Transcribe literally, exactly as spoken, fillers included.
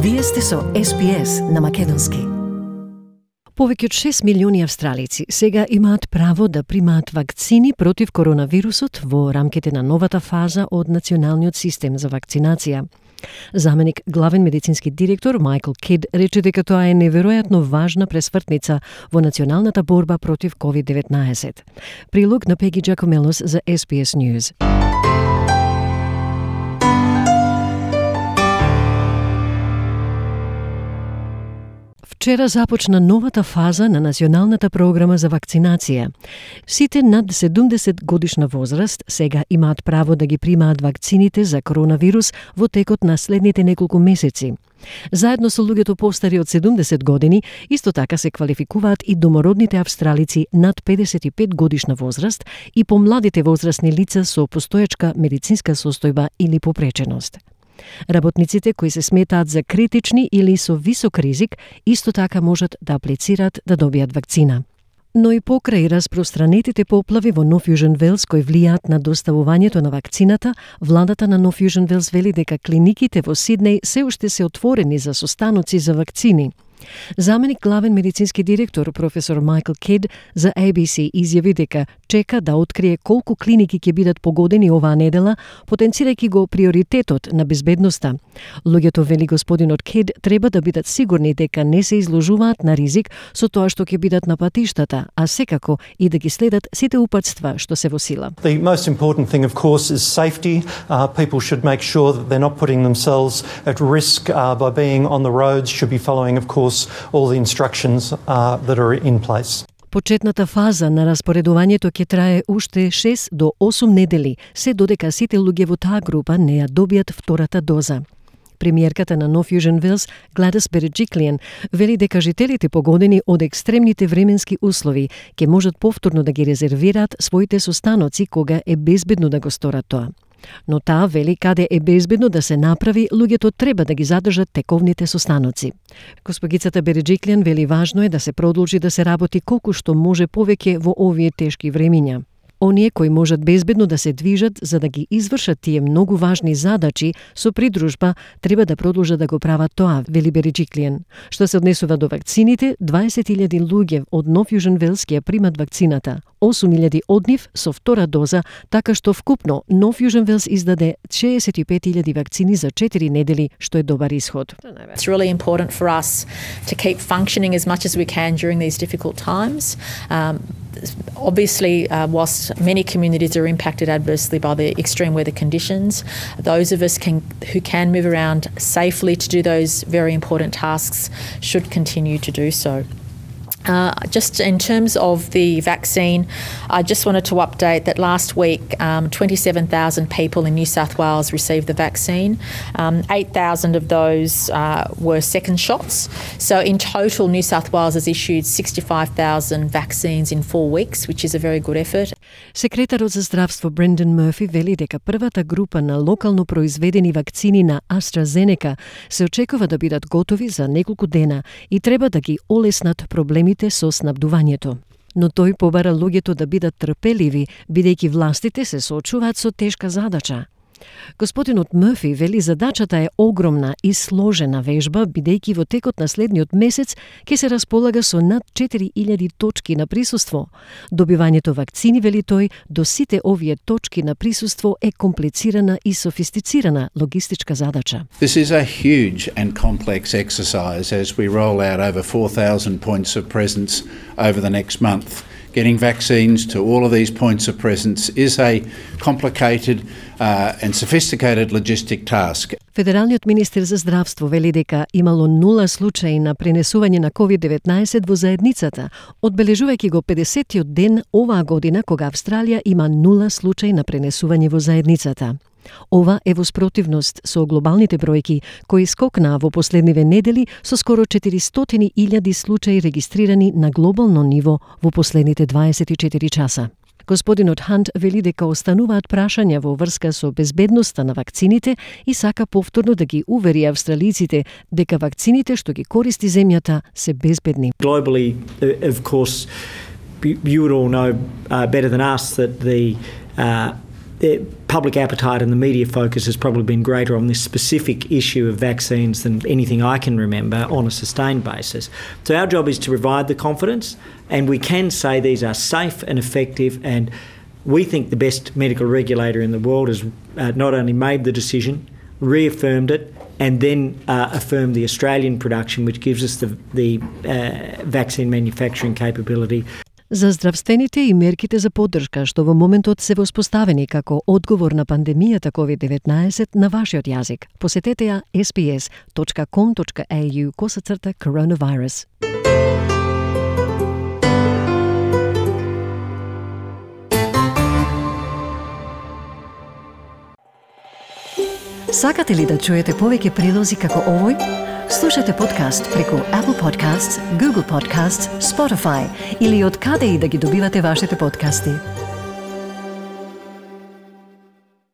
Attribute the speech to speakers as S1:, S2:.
S1: Вие сте со Ес Би Ес на македонски. Повеќе од шест милиони австралици сега имаат право да примаат вакцини против коронавирусот во рамките на новата фаза од националниот систем за вакцинација. Заменик главен медицински директор Майкл Кид рече дека тоа е неверојатно важна пресвртница во националната борба против ковид деветнаесет. Прилог на Пеги Джакомелос за Ес Би Ес News. Вчера започна новата фаза на националната програма за вакцинација. Сите над седумдесет годишна возраст сега имаат право да ги примаат вакцините за коронавирус во текот на следните неколку месеци. Заедно со луѓето постари од седумдесет години, исто така се квалификуваат и домородните австралици над педесет и пет годишна возраст и помладите возрастни лица со постоечка медицинска состојба или попреченост. Работниците кои се сметаат за критични или со висок ризик, исто така можат да аплицираат да добијат вакцина. Но и покрај распространетите поплави во Нов Јужен Велс кои влијаат на доставувањето на вакцината, владата на Нов Јужен Велс вели дека клиниките во Сиднеј се уште се отворени за состаноци за вакцини. Заменик главен медицински директор професор Майкл Кид за Ей Би Си изјави дека чека да открие колку клиники ќе бидат погодени оваа недела, потенцирајќи го приоритетот на безбедноста. Луѓето, вели господинот Кид, треба да бидат сигурни дека не се изложуваат на ризик со тоа што ќе бидат на патиштата, а секако и да ги следат сите упатства што се во сила.
S2: The most important thing, of course, is safety. Uh, people should make sure that they're not putting themselves at risk uh, by being on the roads, should be following, of course, all the instructions uh, that are in place.
S1: Почетната фаза на распоредувањето ќе трае уште шест до осум недели, се додека сите луѓе во таа група не ја добијат втората доза. Премиерката на Нов Јужен Велс, Гладис Береджиклијан, вели дека жителите погодени од екстремните временски услови ќе можат повторно да ги резервираат своите состаноци кога е безбедно да го сторат тоа. Но таа вели каде е безбедно да се направи, луѓето треба да ги задржат тековните состаноци. Госпогицата Береджиклијан вели важно е да се продолжи да се работи колку што може повеќе во овие тешки времиња. Оние кои можат безбедно да се движат за да ги извршат тие многу важни задачи со придружба треба да продолжат да го прават тоа, вели Береджиклијан. Што се однесува до вакцините, дваесет илјади луѓе од Нов Јужен Велс ќе примат вакцината, осум илјади од нив со втора доза, така што вкупно Нов Јужен Велс издаде шеесет и пет илјади вакцини за четири недели, што е добар исход.
S3: It's really important for us to keep functioning as much as we can during these difficult times. Um, Obviously, uh, whilst many communities are impacted adversely by the extreme weather conditions, those of us can, who can move around safely to do those very important tasks should continue to do so. Uh, just in terms of the vaccine, I just wanted to update that last week um, twenty-seven thousand people in New South Wales received the vaccine. Um, eight thousand of those uh, were second shots. So in total, New South Wales has issued sixty-five thousand vaccines in four weeks, which is a very good effort.
S1: Секретарот за здравство Брендан Мърфи вели дека првата група на локално произведени вакцини на AstraZeneca се очекува да бидат готови за неколку дена и треба да ги олеснат проблемите со снабдувањето. Но тој побара луѓето да бидат трпеливи, бидејќи властите се соочуваат со тешка задача. Господинот Мърфи вели задачата е огромна и сложена вежба, бидејќи во текот на следниот месец ќе се располага со над четири илјади точки на присуство. Добивањето вакцини, вели тој, до сите овие точки на присуство е комплицирана и софистицирана логистичка задача.
S4: This is a huge and complex exercise as we roll out over four thousand points of presence over the next month. Getting vaccines to all of these points of presence is a complicated uh, and sophisticated logistic task.
S1: Федералниот министер за здравство вели дека имало нула случаи на пренесување на ковид деветнаесет во заедницата, одбележувајќи го педесетиот ден оваа година кога Австралија има нула случаи на пренесување во заедницата. Ова е во спротивност со глобалните бројки кои скокнаа во последниве недели со скоро четиристотини илјади случаи регистрирани на глобално ниво во последните дваесет и четири часа. Господинот Хант вели дека остануваат прашања во врска со безбедноста на вакцините и сака повторно да ги увери австралиците дека вакцините што ги користи земјата се безбедни.
S5: Globally, of course, you would all know uh, better than us that the uh, the public appetite and the media focus has probably been greater on this specific issue of vaccines than anything I can remember on a sustained basis. So our job is to provide the confidence, and we can say these are safe and effective, and we think the best medical regulator in the world has uh, not only made the decision, reaffirmed it, and then uh, affirmed the Australian production, which gives us the, the uh, vaccine manufacturing capability.
S1: За здравствените и мерките за поддршка што во моментот се воспоставени како одговор на пандемијата ковид деветнаесет на вашиот јазик, посетете ја ес би ес точка ком точка ей ю косацрта коронавирус. Сакате ли да чуете повеќе прилози како овој? Слушате подкаст преку Apple Podcasts, Google Podcasts, Spotify или од каде и да ги добивате вашите подкасти.